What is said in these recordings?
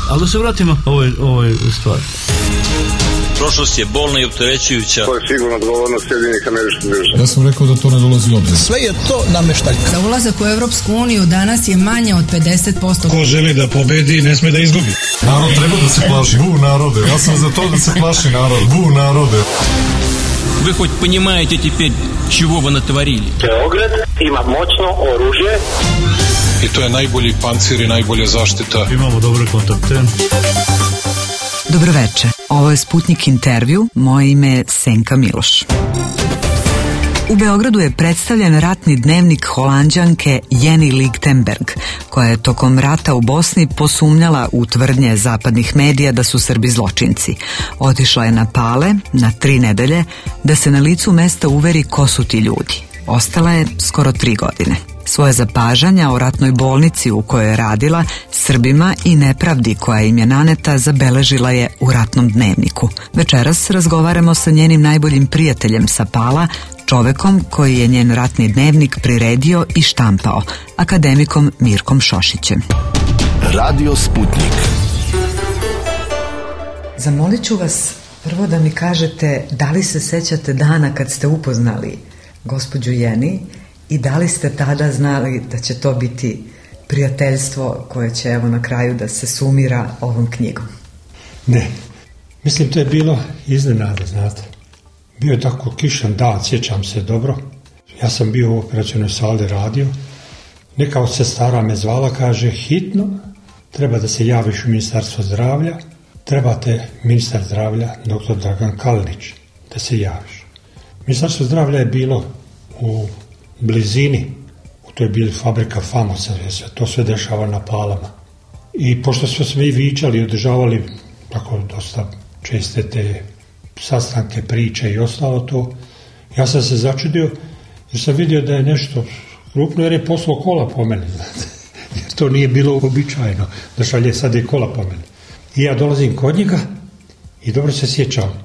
Ali da se vratimo ovoj stvari. Prošlost je bolna i opterećujuća. To je sigurno odgovornost Sjedinjenih Američkih Država. Ja sam rekao da to ne dolazi u obzir. Sve je to nameštaljka. Za ulazak u Evropsku uniju danas je manje od 50%. Ko želi da pobedi, ne sme da izgubi. Narod treba da se plaši. Bu narode. Ja sam za to da se plaši narod. Bu narode. Вы хоть понимаете теперь, чего вы натворили? Beograd ima moćno oružje. I to je najbolji pancir i najbolja zaštita. Imamo dobre kontakte. Dobroveče, ovo je Sputnik intervju, moje ime je Senka Miloš. U Beogradu je predstavljen ratni dnevnik Holanđanke Jenny Lichtenberg, koja je tokom rata u Bosni posumnjala u tvrdnje zapadnih medija da su Srbi zločinci. Otišla je na Pale na 3 nedelje da se na licu mesta uveri ko su ti ljudi. Ostala je skoro 3 godine. Svoje zapažanja o ratnoj bolnici u kojoj je radila, Srbima i nepravdi koja im je naneta zabeležila je u ratnom dnevniku. Večeras razgovaramo sa njenim najboljim prijateljem sa Pala, čovekom koji je njen ratni dnevnik priredio i štampao, akademikom Mirkom Šošićem. Radio Sputnik. Zamolit ću vas prvo da mi kažete da li se sećate dana kad ste upoznali gospođu Jenny i da li ste tada znali da će to biti prijateljstvo koje će evo na kraju da se sumira ovom knjigom? Ne, mislim to je bilo iznenada, znate. Bio je tako kišan dan, sjećam se dobro. Ja sam bio u operacionoj sali radio. Neka od sestara me zvala, kaže, hitno, treba da se javiš u Ministarstvo zdravlja, trebate ministar zdravlja, dr. Dragan Kalinić, da se javiš. Ministarstvo zdravlja je bilo u blizini, to je bila fabrika Famosa, to sve dešava na Palama. I pošto smo svi vičali i održavali tako dosta česte te sastanke, priče i ostalo to, ja sam se začudio jer sam vidio da je nešto krupno jer je poslao kola po meni, znate. Jer to nije bilo uobičajeno da šalje sad i kola po meni. I ja dolazim kod njega i dobro se sjećam.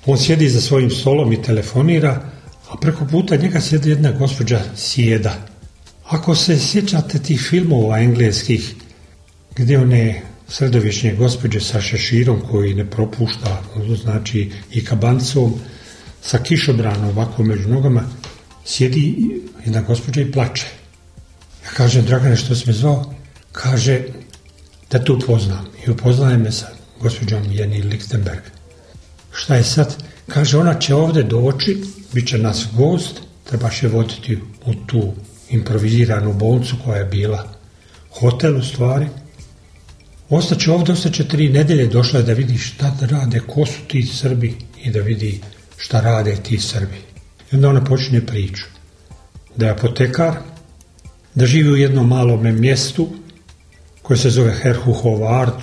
On sjedi za svojim stolom i telefonira, a preko puta njega sjedi jedna gospođa Sjeda. Ako se sjećate tih filmova engleskih gdje one sredovječne gospođe sa šeširom koji ne propušta, znači i kabancom, sa kišobranom ovako među nogama, sjedi jedna gospođa i plače. Ja kažem, Dragane, što si me zvao? Kaže, da tu upoznam. I upoznaje me sa gospođom Jenny Lichtenberg. Šta je sad? Kaže, ona će ovdje doći, bit će nas gost, trebaš je voditi u tu improviziranu bolnicu koja je bila hotel u stvari. Ostaće ovdje, ostaće 3 nedelje, došla je da vidi šta rade, ko su ti Srbi i da vidi šta rade ti Srbi. I onda ona počinje priču. Da je apotekar, da živi u jednom malom mjestu koje se zove Herhuhovard,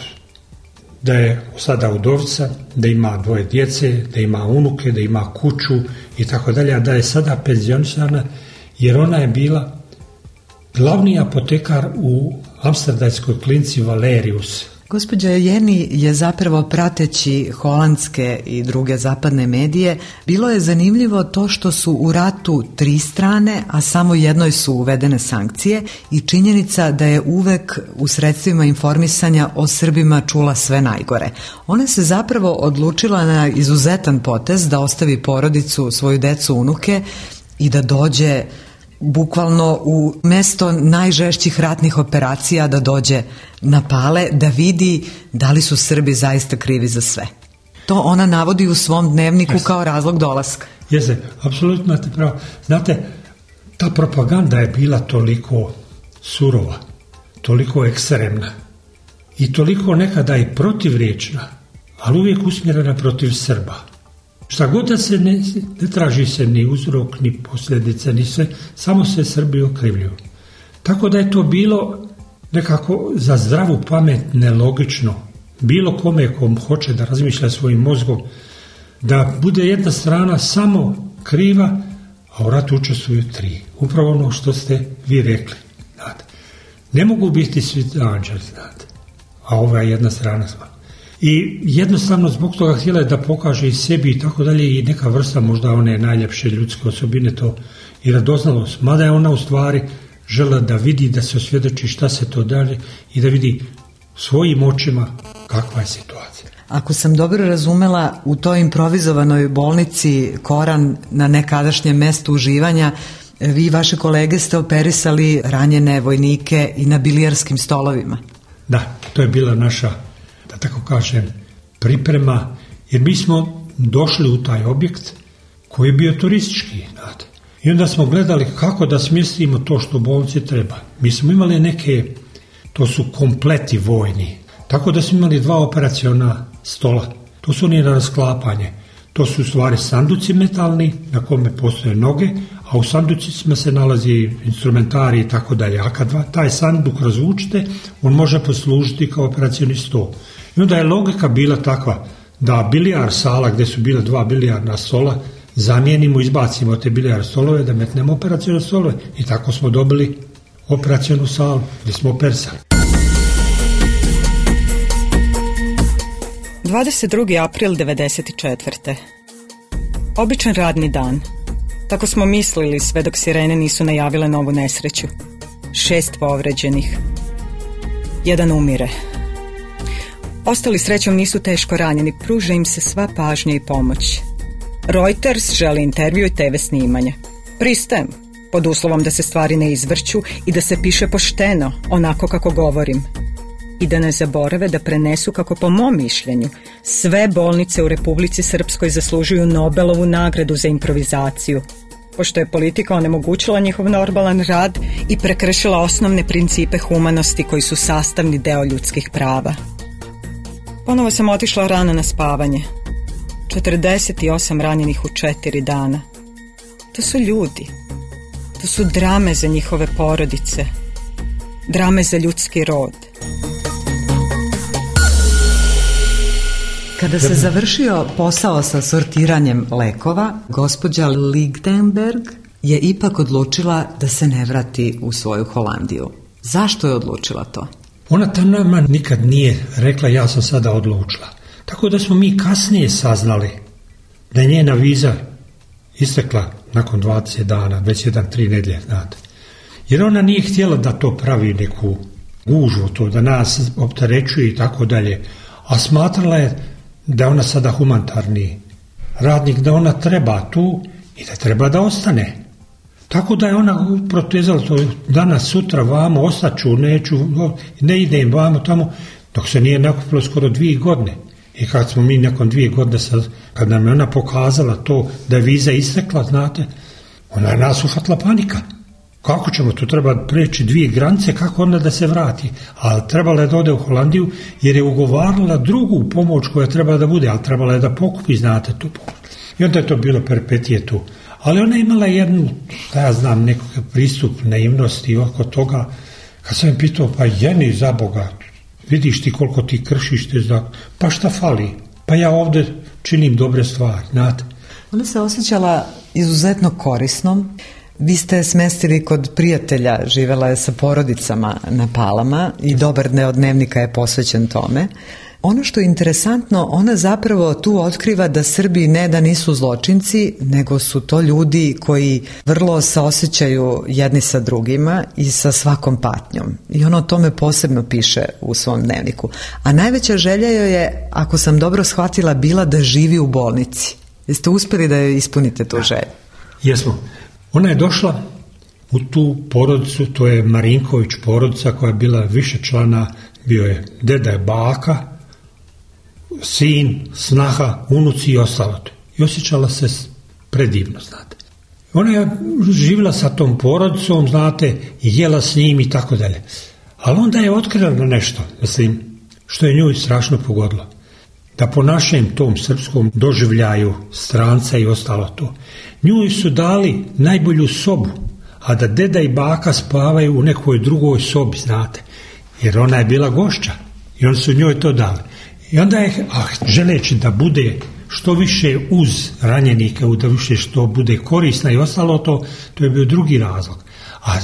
da je sada udovica, da ima 2 djece, da ima unuke, da ima kuću i tako dalje, a da je sada penzionisana jer ona je bila glavni apotekar u amsterdamskoj klinici Valerius. Gospođa Jenny je zapravo prateći holandske i druge zapadne medije, bilo je zanimljivo to što su u ratu 3 strane, a samo jednoj su uvedene sankcije i činjenica da je uvek u sredstvima informisanja o Srbima čula sve najgore. Ona se zapravo odlučila na izuzetan potez da ostavi porodicu, svoju decu, unuke i da dođe bukvalno u mesto najžešćih ratnih operacija, da dođe na Pale, da vidi da li su Srbi zaista krivi za sve. To ona navodi u svom dnevniku kao razlog dolaska. Jeste, apsolutno imate pravo. Znate, ta propaganda je bila toliko surova, toliko ekstremna i toliko nekada i protivriječna, ali uvijek usmjerena protiv Srba. Šta god da se ne traži se ni uzrok, ni posljedice, ni sve, samo se Srbi okrivljuju. Tako da je to bilo nekako za zdravu pamet nelogično. Bilo kome kom hoće da razmišlja svojim mozgom, da bude jedna strana samo kriva, a u ratu učestvuju 3. Upravo ono što ste vi rekli. Znate. Ne mogu biti svi anđeli, znate, a ova je jedna strana sva. I jednostavno zbog toga htjela je da pokaže i sebi i tako dalje i neka vrsta možda one najljepše ljudske osobine to i radoznalost. Mada je ona u stvari žela da vidi, da se osvjedoči šta se to dalje i da vidi svojim očima kakva je situacija. Ako sam dobro razumela, u toj improvizovanoj bolnici Koran na nekadašnjem mestu uživanja, vi i vaše kolege ste operisali ranjene vojnike i na bilijarskim stolovima. Da, to je bila naša, da tako kažem, priprema, jer mi smo došli u taj objekt koji je bio turistički, znate. I onda smo gledali kako da smjestimo to što u bolnici treba. Mi smo imali neke, to su kompleti vojni, tako da smo imali 2 operaciona stola. To su oni na rasklapanje. To su u stvari sanduci metalni na kome postoje noge, a u sanducima se nalazi instrumentari i tako dalje. A kad taj sanduk razvučite, on može poslužiti kao operacioni stol. I onda je logika bila takva da bilijar sala gdje su bila 2 bilijarna stola zamijenimo, izbacimo te bilijar stolove, da metnemo operacione stolove i tako smo dobili operacionu salu gdje smo operisali. 22. april 1994. Običan radni dan. Tako smo mislili sve dok sirene nisu najavile novu nesreću. 6 povređenih. 1 umire. Ostali srećom nisu teško ranjeni, pruža im se sva pažnja i pomoć. Reuters želi intervju i TV snimanje. Pristajem, pod uslovom da se stvari ne izvrću i da se piše pošteno, onako kako govorim. I da ne zaborave da prenesu kako po mom mišljenju sve bolnice u Republici Srpskoj zaslužuju Nobelovu nagradu za improvizaciju, pošto je politika onemogućila njihov normalan rad i prekršila osnovne principe humanosti koji su sastavni deo ljudskih prava. Ponovo sam otišla rano na spavanje. 48 ranjenih u 4 dana. To su ljudi. To su drame za njihove porodice. Drame za ljudski rod. Kada se završio posao sa sortiranjem lekova, gospođa Ligtenberg je ipak odlučila da se ne vrati u svoju Holandiju. Zašto je odlučila to? Ona tam nama nikad nije rekla ja sam sada odlučila. Tako da smo mi kasnije saznali da je njena viza istekla nakon 20 dana, već 1-3 nedjelje, znate. Jer ona nije htjela da to pravi neku gužvu, to da nas opterećuje i tako dalje, a smatrala je da je ona sada humanitarni radnik, da ona treba tu i da treba da ostane. Tako da je ona protezala to danas, sutra, vamo, ostaću, neću, ne idem vamo tamo, dok se nije nakupilo skoro 2 godine. I kad smo mi nakon 2 godine, kad nam je ona pokazala to da je viza istekla, znate, ona je nas uhvatila panika. Kako ćemo, tu treba preći 2 granice, kako onda da se vrati? Ali trebala je da ode u Holandiju jer je ugovarala drugu pomoć koja treba da bude, ali trebala je da pokupi, znate, tu pomoć. I onda je to bilo perpetije tu. Ali ona je imala jednu, ja znam, nekakav pristup naivnosti oko toga, kad sam je pitao, pa Jeni, za Boga, vidiš ti koliko ti kršiš te zakon, pa šta fali? Pa ja ovdje činim dobre stvari, znate. Ona se osjećala izuzetno korisnom. Vi ste smestili kod prijatelja, živjela je sa porodicama na Palama i dobar deo dnevnika je posvećen tome. Ono što je interesantno, ona zapravo tu otkriva da Srbi ne da nisu zločinci, nego su to ljudi koji vrlo saosećaju jedni sa drugima i sa svakom patnjom. I ona o tome posebno piše u svom dnevniku. A najveća želja joj je, ako sam dobro shvatila, bila da živi u bolnici. Jeste uspjeli da joj ispunite tu želju? Jesmo. Ona je došla u tu porodicu, to je Marinković porodica koja je bila više člana, bio je deda, je baka, sin, snaha, unuci i ostalo. I osjećala se predivno, znate. Ona je živjela sa tom porodicom, znate, i jela s njim i tako dalje. Ali onda je otkrila nešto, mislim, što je nju strašno pogodilo. Da po našem tom srpskom doživljaju stranca i ostalo to, nju su dali najbolju sobu, a da deda i baka spavaju u nekoj drugoj sobi, znate, jer ona je bila gošća i oni su njoj to dali. I onda je, želeći da bude što više uz ranjenike, da više što bude korisna i ostalo to je bio drugi razlog. A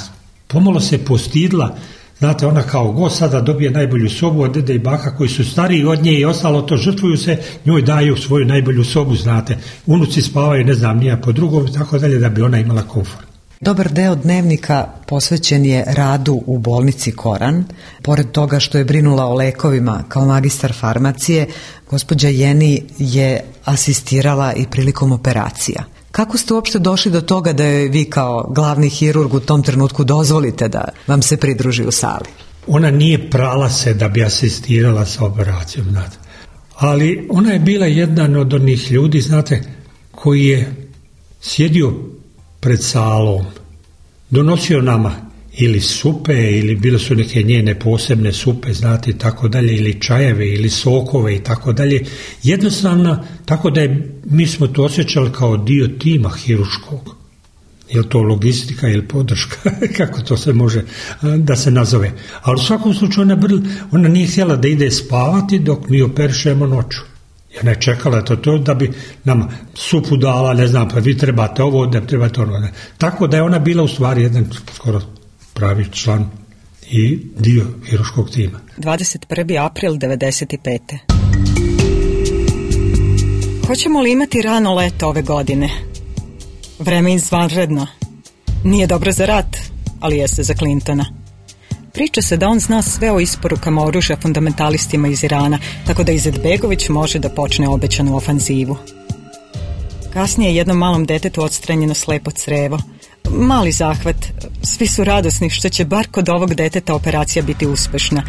pomalo se postidla, znate, ona kao gost sada dobije najbolju sobu, a deda i baka koji su stariji od nje i ostalo to žrtvuju se, njoj daju svoju najbolju sobu, znate. Unuci spavaju, ne znam, nije po drugom, tako dalje, da bi ona imala komfort. Dobar deo dnevnika posvećen je radu u bolnici Koran. Pored toga što je brinula o lekovima kao magistar farmacije, gospođa Jeni je asistirala i prilikom operacija. Kako ste uopšte došli do toga da je vi kao glavni hirurg u tom trenutku dozvolite da vam se pridruži u sali? Ona nije prala se da bi asistirala sa operacijom, znate. Ali ona je bila jedan od onih ljudi, znate, koji je sjedio pred salom, donosio nama ili supe, ili bile su neke njene posebne supe, znate, i tako dalje, ili čajeve, ili sokove i tako dalje. Jednostavno, tako da mi smo to osjećali kao dio tima hirurškog. Je li to logistika ili podrška, kako to se može da se nazove. Ali u svakom slučaju ona nije htjela da ide spavati dok mi operišemo noću. Ona je čekala to da bi nam supu dala, ne znam, pa vi trebate ovo, da trebate ono. Tako da je ona bila u stvari jedan skoro pravi član i dio hirurškog tima. 21. april 95. Hoćemo li imati rano leto ove godine? Vreme izvanredno. Nije dobro za rat, ali jeste za Clintona. Priča se da on zna sve o isporukama oružja fundamentalistima iz Irana, tako da Izetbegović može da počne obećanu ofanzivu. Kasnije je jednom malom detetu odstranjeno slepo crevo. Mali zahvat, svi su radosni što će bar kod ovog deteta operacija biti uspešna.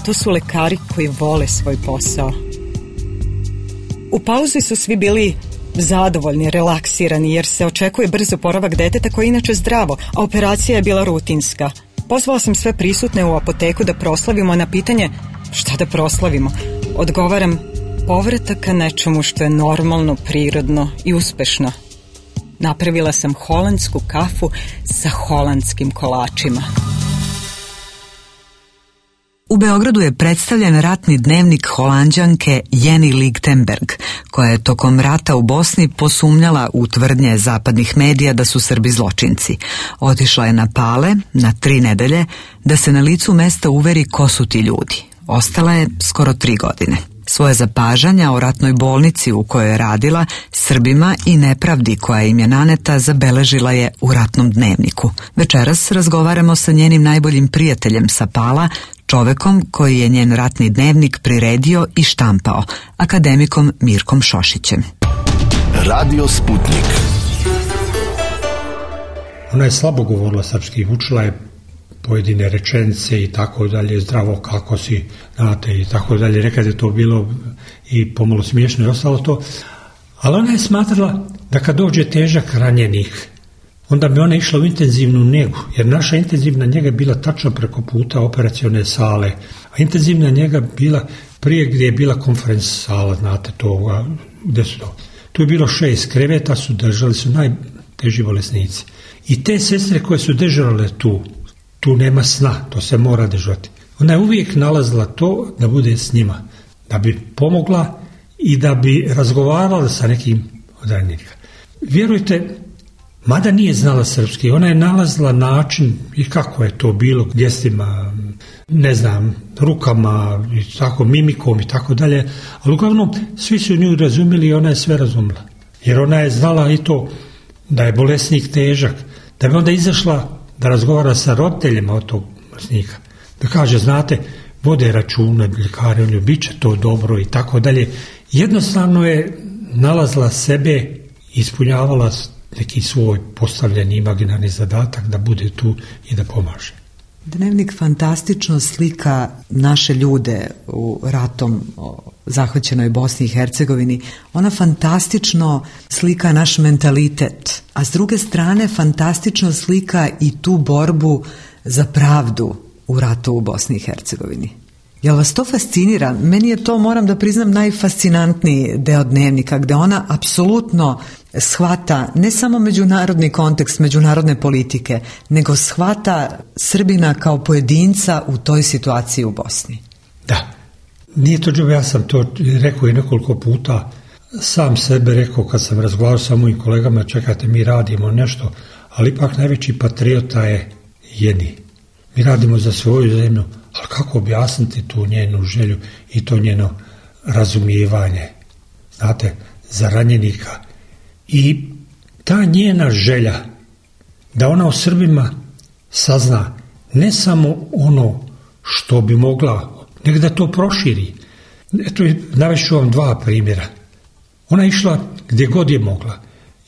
To su lekari koji vole svoj posao. U pauzi su svi bili zadovoljni, relaksirani, jer se očekuje brz oporavak deteta koji je inače zdravo, a operacija je bila rutinska. Pozvala sam sve prisutne u apoteku da proslavimo. Na pitanje šta da proslavimo, odgovaram povratak ka nečemu što je normalno, prirodno i uspešno. Napravila sam holandsku kafu sa holandskim kolačima. U Beogradu je predstavljen ratni dnevnik Holanđanke Jeni Lichtenberg, koja je tokom rata u Bosni posumnjala u tvrdnje zapadnih medija da su Srbi zločinci. Otišla je na Pale na 3 nedelje da se na licu mesta uveri ko su ti ljudi. Ostala je skoro 3 godine. Svoje zapažanja o ratnoj bolnici u kojoj je radila, Srbima i nepravdi koja im je naneta zabeležila je u ratnom dnevniku. Večeras razgovaramo sa njenim najboljim prijateljem sa Pala, čovekom koji je njen ratni dnevnik priredio i štampao, akademikom Mirkom Šošićem. Radio Sputnik. Ona je slabo govorila srpski, učila je pojedine rečenice i tako dalje, zdravo kako si, znate, i tako dalje. Rekad je to bilo i pomalo smiješno i ostalo to, ali ona je smatrala da kad dođe težak ranjenik, onda bi ona išla u intenzivnu njegu, jer naša intenzivna njega je bila tačno preko puta operacione sale, a intenzivna njega bila prije gdje je bila konferenc sala, znate to, gdje su to. Tu je bilo 6 kreveta, držali su najteži bolesnici. I te sestre koje su dežurale tu nema sna, to se mora dežurati. Ona je uvijek nalazila to da bude s njima, da bi pomogla i da bi razgovarala sa nekim od ranjenika. Vjerujte, mada nije znala srpski, ona je nalazila način i kako je to bilo, gestima, ne znam, rukama, i tako, mimikom i tako dalje, ali uglavnom svi su nju razumjeli i ona je sve razumjela. Jer ona je znala i to da je bolesnik težak, da bi onda izašla da razgovara sa roditeljima od tog bolesnika, da kaže, znate, vode računa, ljekari, bit će to dobro i tako dalje. Jednostavno je nalazila sebe, ispunjavala neki svoj postavljeni imaginarni zadatak da bude tu i da pomaže. Dnevnik fantastično slika naše ljude u ratom zahvaćenoj Bosni i Hercegovini. Ona fantastično slika naš mentalitet, a s druge strane fantastično slika i tu borbu za pravdu u ratu u Bosni i Hercegovini. Jel vas to fascinira? Meni je to, moram da priznam, najfascinantniji deo dnevnika, gde ona apsolutno shvata ne samo međunarodni kontekst, međunarodne politike, nego shvata Srbina kao pojedinca u toj situaciji u Bosni. Da, nije to džuba, ja sam to rekao i nekoliko puta, sam sebe rekao kad sam razgovarao sa mojim kolegama, čekajte, mi radimo nešto, ali ipak najveći patriota je Jeni. Mi radimo za svoju zemlju, ali kako objasniti tu njenu želju i to njeno razumijevanje, znate, za ranjenika. I ta njena želja da ona o Srbima sazna ne samo ono što bi mogla, nego da to proširi. Eto, navešću vam 2 primjera. Ona je išla gdje god je mogla.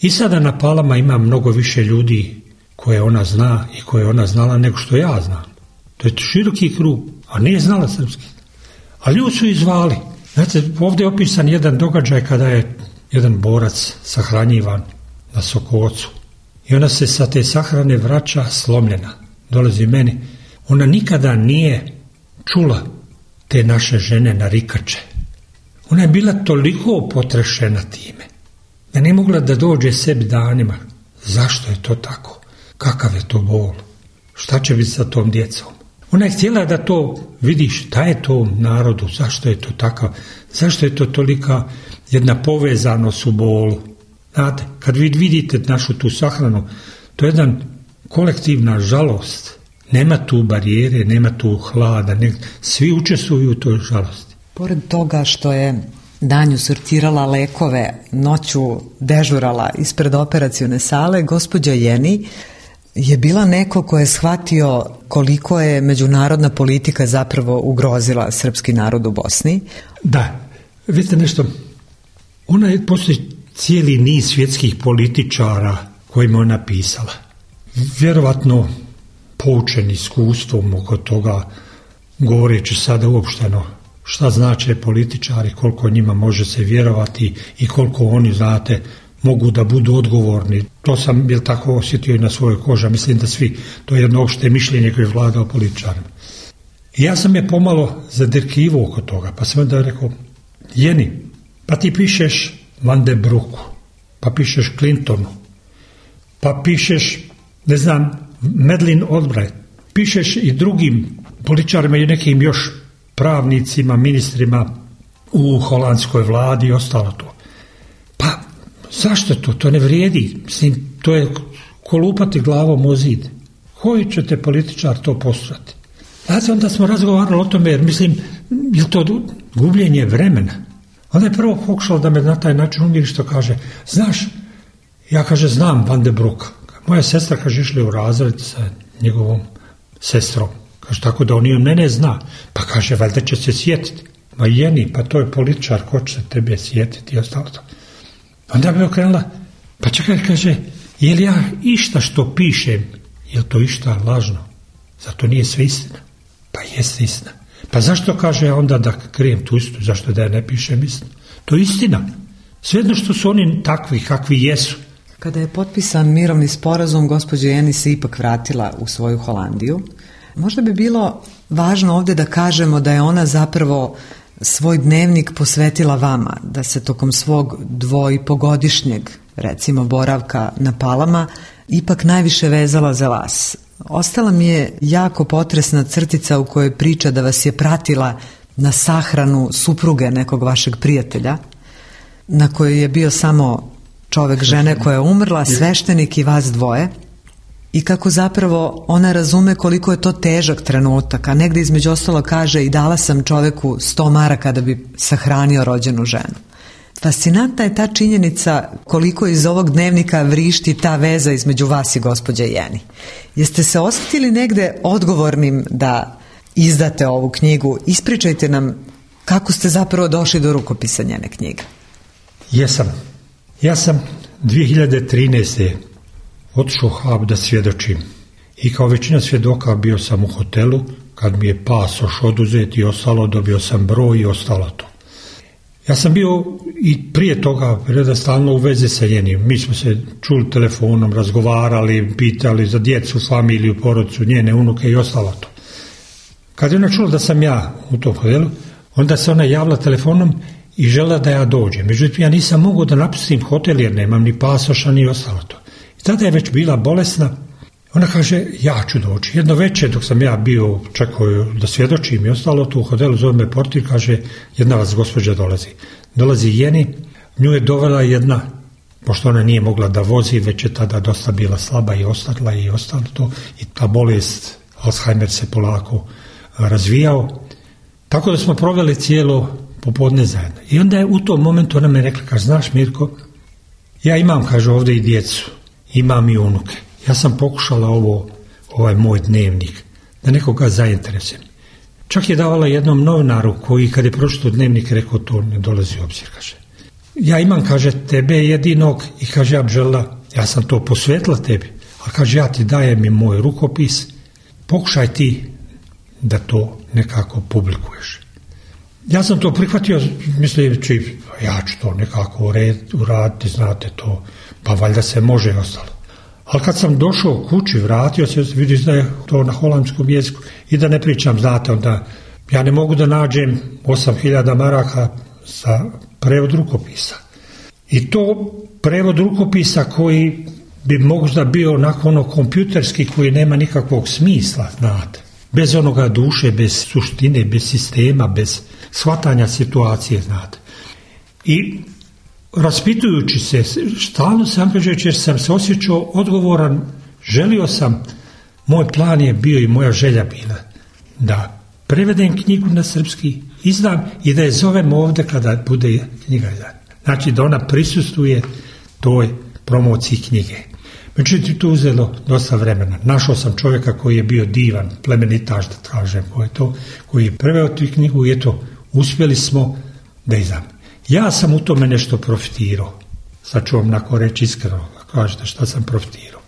I sada na Palama ima mnogo više ljudi koje ona zna i koje ona znala nego što ja znam. To je široki krug, a nije znala srpski. A ljudi su izvali. Znate, ovdje je opisan jedan događaj kada je jedan borac sahranjivan na Sokocu. I ona se sa te sahrane vraća slomljena. Dolazi meni. Ona nikada nije čula te naše žene narikače. Ona je bila toliko potrešena time da nije mogla da dođe sebi danima. Zašto je to tako? Kakav je to bol? Šta će biti sa tom djecom? Ona je htjela da to vidi šta je to narodu, zašto je to takav, zašto je to tolika jedna povezanost u bolu. Znate, kad vi vidite našu tu sahranu, to je jedna kolektivna žalost. Nema tu barijere, nema tu hlada, svi učestvuju u toj žalosti. Pored toga što je danju sortirala lekove, noću dežurala ispred operacione sale, gospođa Jeni je bila neko ko je shvatio koliko je međunarodna politika zapravo ugrozila srpski narod u Bosni. Da, vidite nešto, ona je postoji cijeli niz svjetskih političara kojima ona pisala. Vjerovatno poučen iskustvom oko toga, govoreći sada uopšteno šta znače političari, koliko njima može se vjerovati i koliko oni, znate, mogu da budu odgovorni. To sam tako osjetio i na svojoj koži, mislim da svi, to je jedno opšte mišljenje koje je vladao političarima. I ja sam je pomalo zadirkivao oko toga, pa sam onda rekao, Jeni, pa ti pišeš Van de Broeku, pa pišeš Clintonu, pa pišeš, ne znam, Madeleine Albright, pišeš i drugim političarima i nekim još pravnicima, ministrima u holandskoj vladi i ostalo to. Pa zašto to? To ne vrijedi. Mislim, to je kolupati glavom o zid. Koji ćete političar to postrati? Znači, onda smo razgovarali o tome, jer mislim, je to gubljenje vremena. Onda je prvo pokušao da me na taj način umiri što kaže, znaš, ja kaže, znam Van de Broeka. Moja sestra, kaže, išla u razred sa njegovom sestrom. Kaže, tako da on i mene zna. Pa kaže, valjda će se sjetiti. Ma Jeni, pa to je političar, ko će se tebe sjetiti i ostalo to. Onda bi okrenula, pa čekaj, kaže, je li ja išta što pišem, je li to išta lažno? Zato nije sve istina. Pa jeste istina. Pa zašto kaže onda da krijem tu istinu, zašto da ja ne pišem istinu? To je istina. Svejedno što su oni takvi, kakvi jesu. Kada je potpisan mirovni sporazum, gospođa Jeni se ipak vratila u svoju Holandiju. Možda bi bilo važno ovdje da kažemo da je ona zapravo svoj dnevnik posvetila vama, da se tokom svog 2,5-godišnjeg, recimo, boravka na Palama ipak najviše vezala za vas. Ostala mi je jako potresna crtica u kojoj priča da vas je pratila na sahranu supruge nekog vašeg prijatelja, na kojoj je bio samo čovek žene koja je umrla, sveštenik i vas dvoje, i kako zapravo ona razume koliko je to težak trenutak, a negdje između ostalo kaže i dala sam čoveku 100 maraka da bi sahranio rođenu ženu. Fascinantna je ta činjenica koliko iz ovog dnevnika vrišti ta veza između vas i gospođe Jeni. Jeste se osjetili negde odgovornim da izdate ovu knjigu? Ispričajte nam kako ste zapravo došli do rukopisa njene knjige. Jesam. Ja sam 2013. otišao u Haag da svjedočim. I kao većina svjedoka bio sam u hotelu, kad mi je pasoš oduzet i ostalo, dobio sam broj i ostalo to. Ja sam bio i prije toga stalno u vezi sa Jenim. Mi smo se čuli telefonom, razgovarali, pitali za djecu, familiju, porodicu, njene unuke i ostalo to. Kad je ona čula da sam ja u tom hotelu, onda se ona javila telefonom i žela da ja dođem. Međutim, ja nisam mogao da napustim hotel jer nemam ni pasoša ni ostalo to. I tada je već bila bolesna. Ona kaže, ja ću doći. Jedno večer dok sam ja bio, čekao da svjedočim i ostalo tu u hotelu, zove me portir, kaže, jedna vas gospođa dolazi. Dolazi Jeni, nju je dovela jedna, pošto ona nije mogla da vozi, već je tada dosta bila slaba i ostala i ostalo to. I ta bolest, Alzheimer se polako razvijao. Tako da smo proveli cijelo popodne zajedno. I onda je u tom momentu ona me rekla, kaže, znaš Mirko, ja imam, kaže, ovdje i djecu, imam i unuke. Ja sam pokušala ovaj moj dnevnik, da nekoga zainteresujem. Čak je davala jednom novinaru koji kad je pročitao dnevnik rekao to ne dolazi u obzir, kaže. Ja imam, kaže, tebe jedinog i kaže, ja bi željela, ja sam to posvetila tebi, a kaže, ja ti dajem i moj rukopis, pokušaj ti da to nekako publikuješ. Ja sam to prihvatio, misleći, ja ću to nekako uraditi, znate to, pa valjda se može i ostalo. Ali kad sam došao kući, vratio se, vidiš da je to na holandskom jeziku i da ne pričam, znate, onda ja ne mogu da nađem 8.000 maraka za prevod rukopisa. I to prevod rukopisa koji bi možda bio onako ono kompjuterski, koji nema nikakvog smisla, znate. Bez onoga duše, bez suštine, bez sistema, bez shvatanja situacije, znate. I raspitujući se, stalno se angažujući jer sam se osjećao odgovoran, želio sam, moj plan je bio i moja želja bila da prevedem knjigu na srpski, izdam i da je zovem ovdje kada bude knjiga izdana. Znači da ona prisustvuje toj promociji knjige. Međutim, to uzelo dosta vremena. Našao sam čovjeka koji je bio divan, plemenitaš, da kažem, koji je preveo tu knjigu i eto, uspjeli smo da izdam. Ja sam u tome nešto profitirao. Sad ću vam nakon reći iskreno, kažete šta sam profitirao.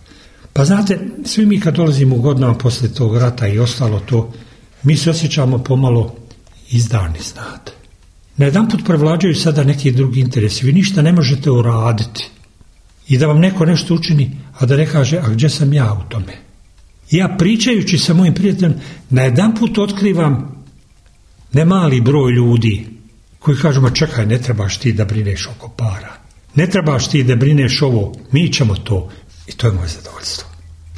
Pa znate, svi mi kad dolazimo u godinama poslije tog rata i ostalo to, mi se osjećamo pomalo izdani, znate. Najedanput prevlađaju sada neki drugi interesi. Vi ništa ne možete uraditi i da vam neko nešto učini, a da ne kaže, a gdje sam ja u tome? Ja pričajući sa mojim prijateljem, najedanput otkrivam nemali broj ljudi koji kažu, ma čekaj, ne trebaš ti da brineš oko para. Ne trebaš ti da brineš ovo, mi ćemo to. I to je moje zadovoljstvo.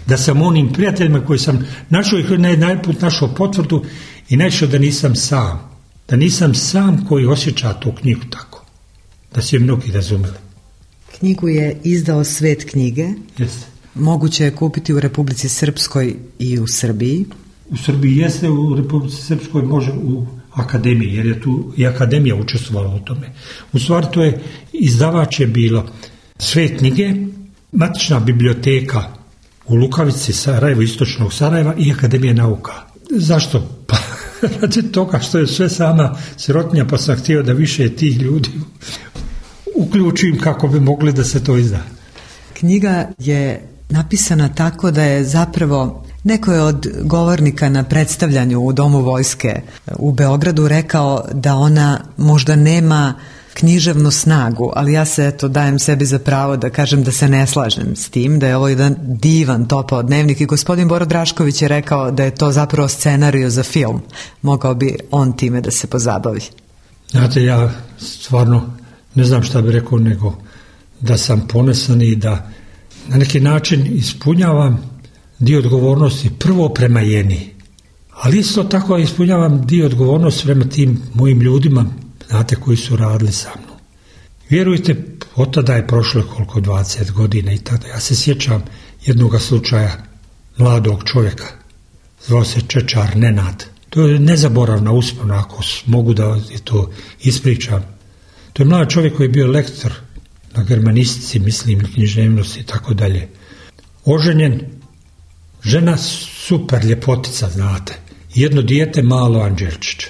Da sam onim prijateljima koji sam našao i najput našao potvrdu i našao da nisam sam. Da nisam sam koji osjeća tu knjigu tako. Da su je mnogi razumeli. Knjigu je izdao Svet knjige. Jeste. Moguće je kupiti u Republici Srpskoj i u Srbiji. U Srbiji jeste, u Republici Srpskoj može u Akademiji, jer je tu i Akademija učestvovala u tome. U stvari to je, izdavač je bilo Svet knjige, matična biblioteka u Lukavici, Sarajevo, istočnog Sarajeva i Akademija nauka. Zašto? Pa radi toga što je sve sama sirotinja, pa sam htio da više tih ljudi uključim kako bi mogli da se to izda. Knjiga je napisana tako da je zapravo, neko je od govornika na predstavljanju u Domu vojske u Beogradu rekao da ona možda nema književnu snagu, ali ja se dajem sebi za pravo da kažem da se ne slažem s tim, da je ovo jedan divan topao dnevnik i gospodin Boro Drašković je rekao da je to zapravo scenario za film. Mogao bi on time da se pozabavi. Znate, ja stvarno ne znam šta bi rekao, nego da sam ponosan i da na neki način ispunjavam dio odgovornosti prvo prema Jeni, ali isto tako ispunjavam dio odgovornosti prema tim mojim ljudima, znate, koji su radili sa mnom. Vjerujte, od tada je prošlo koliko 20 godina i tada. Ja se sjećam jednog slučaja mladog čovjeka, zvao se Čečar Nenad. To je nezaboravna uspomena, ako mogu da to ispričam. To je mlad čovjek koji je bio lektor na germanistici, mislim, književnosti i tako dalje. Oženjen, žena super ljepotica, znate, jedno dijete malo Anđelčić.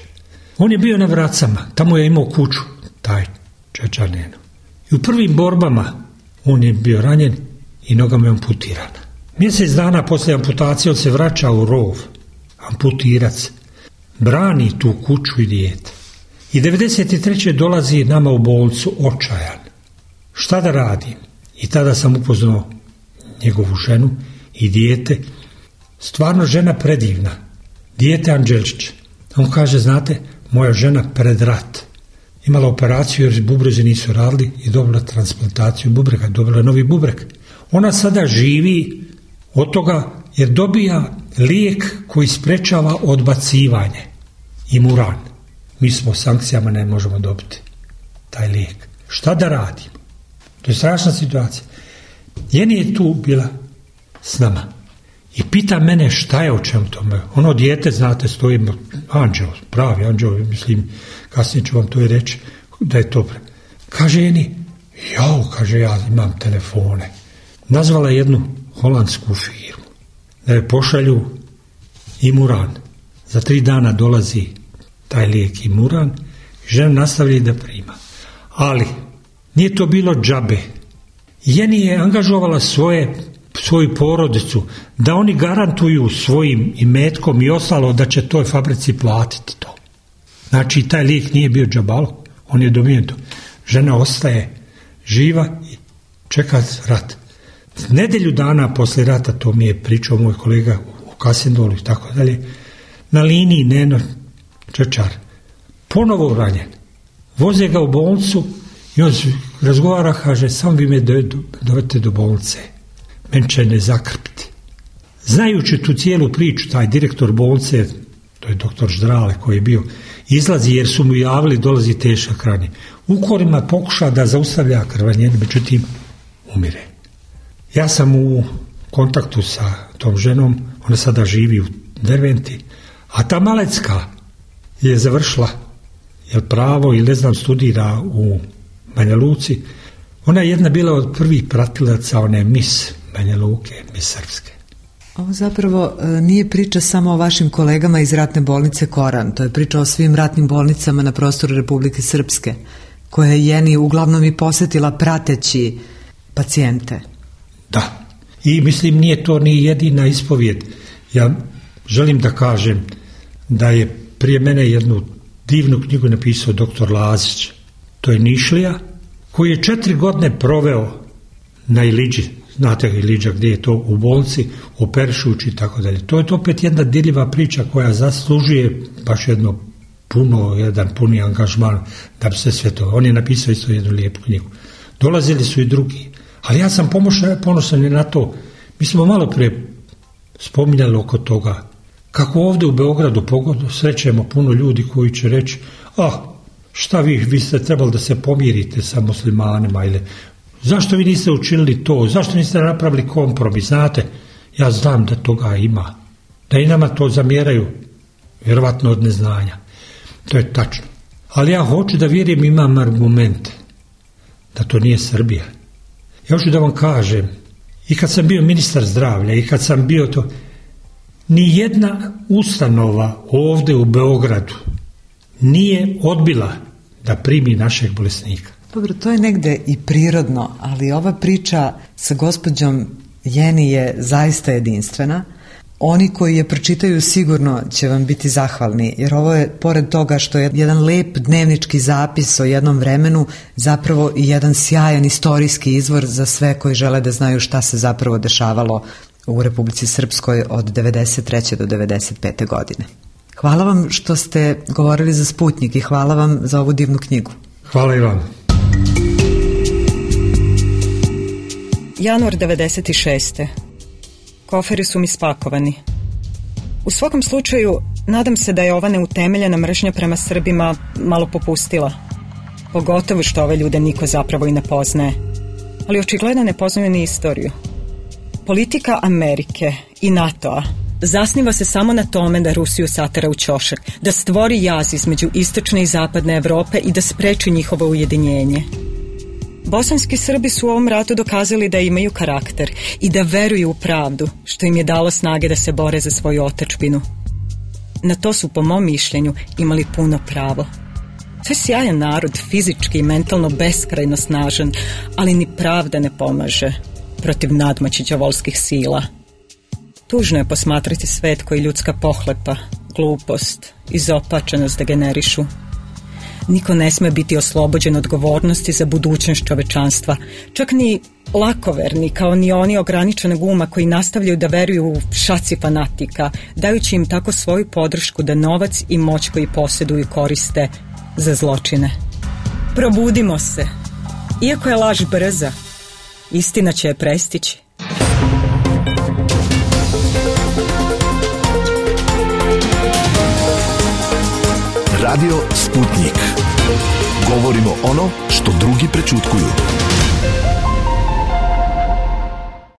On je bio na Vracama, tamo je imao kuću, taj Čečar Neno. I u prvim borbama on je bio ranjen i nogama je amputirana. Mjesec dana poslije amputacije on se vraća u rov, amputirac, brani tu kuću i dijete. I 93. dolazi nama u bolnicu očajan. Šta da radim? I tada sam upoznao njegovu ženu i dijete. Stvarno žena predivna. Dijete Anđelčić. On kaže, znate, moja žena pred rat imala operaciju jer bubrezi nisu radili i dobila transplantaciju bubrega, dobila novi bubreg. Ona sada živi od toga jer dobija lijek koji sprečava odbacivanje. Imuran. Mi smo sankcijama ne možemo dobiti taj lijek. Šta da radimo? To je strašna situacija. Jeni je tu bila s nama i pita mene šta je o čemu tome. Ono dijete, znate, stoji anđel, pravi anđel, mislim, kasnije ću vam to i reći da je to. Kaže Jeni, kaže, ja imam telefone. Nazvala jednu holandsku firmu da je pošalju Imuran. Za 3 dana dolazi taj lijek Imuran i žena nastavlja da prima. Ali nije to bilo džabe. Jeni je angažovala svoju porodicu da oni garantuju svojim imetkom i ostalo da će toj fabrici platiti to. Znači taj lijek nije bio džabalo, on je dobijen to. Žena ostaje živa i čeka rat. Nedelju dana poslije rata, to mi je pričao moj kolega u Kasindolu i tako dalje, na liniji Neno Čečar, ponovo ranjen. Voze ga u bolnicu i on razgovara, kaže, samo vi me dovete do bolnice, men će ne zakrpiti. Znajući tu cijelu priču, taj direktor bolnice, to je doktor Ždrale koji je bio, izlazi jer su mu javili dolazi tešak ranjen. Ukorima pokuša da zaustavlja krvanjenje, međutim umire. Ja sam u kontaktu sa tom ženom, ona sada živi u Derventi, a ta Malecka je završila pravo ili ne znam studira u Banja Luci. Ona je jedna bila od prvih pratilaca one Mis Banja Luke, Mis Srpske. Ovo zapravo nije priča samo o vašim kolegama iz ratne bolnice Koran, to je priča o svim ratnim bolnicama na prostoru Republike Srpske, koje je Jeni uglavnom i posjetila prateći pacijente. Da, i mislim nije to ni jedina ispovijed. Ja želim da kažem da je prije mene jednu divnu knjigu napisao doktor Lazić. To je Nišlija, koji je 4 godine proveo na Iliđi. Znate Iliđa gdje je to u bolnici, operišući i tako dalje. To je opet jedna dirljiva priča koja zaslužuje baš jedan puni angažman da bi se sve to. On je napisao isto jednu lijepu knjigu. Dolazili su i drugi. Ali ja sam ponosan i na to. Mi smo malo prije spominjali oko toga kako ovdje u Beogradu srećemo puno ljudi koji će reći šta vi ste trebali da se pomirite sa muslimanima ili zašto vi niste učinili to, zašto niste napravili kompromis, znate, ja znam da toga ima, da i nama to zamjeraju, vjerovatno od neznanja, to je tačno. Ali ja hoću da vjerujem, imam argumente da to nije Srbija. Ja hoću da vam kažem, i kad sam bio ministar zdravlja, i kad sam bio to, ni jedna ustanova ovdje u Beogradu nije odbila da primi našeg bolesnika. Dobro, to je negde i prirodno, ali ova priča sa gospođom Jeni je zaista jedinstvena. Oni koji je pročitaju sigurno će vam biti zahvalni, jer ovo je, pored toga što je jedan lep dnevnički zapis o jednom vremenu, zapravo i jedan sjajan istorijski izvor za sve koji žele da znaju šta se zapravo dešavalo u Republici Srpskoj od 93. do 95. godine. Hvala vam što ste govorili za Sputnjik i hvala vam za ovu divnu knjigu. Hvala i vam. Januar 96. Koferi su mi spakovani. U svakom slučaju, nadam se da je ova neutemeljena mržnja prema Srbima malo popustila. Pogotovo što ove ljude niko zapravo i ne poznaje. Ali očigledno ne poznaju ni istoriju. Politika Amerike i NATO-a zasniva se samo na tome da Rusiju satera u ćošak, da stvori jaz između istočne i zapadne Evrope i da spreči njihovo ujedinjenje. Bosanski Srbi su u ovom ratu dokazali da imaju karakter i da veruju u pravdu, što im je dalo snage da se bore za svoju otadžbinu. Na to su, po mom mišljenju, imali puno pravo. To je sjajan narod, fizički i mentalno beskrajno snažan, ali ni pravda ne pomaže protiv nadmoći đavolskih sila. Tužno je posmatrati svet koji ljudska pohlepa, glupost i izopačenost degenerišu. Niko ne sme biti oslobođen odgovornosti za budućnost čovečanstva, čak ni lakoverni, kao ni oni ograničenog uma koji nastavljaju da veruju u šaci fanatika, dajući im tako svoju podršku da novac i moć koji posjeduju koriste za zločine. Probudimo se. Iako je laž brza, istina će je prestići. Radio Sputnik. Govorimo ono što drugi prečutkuju.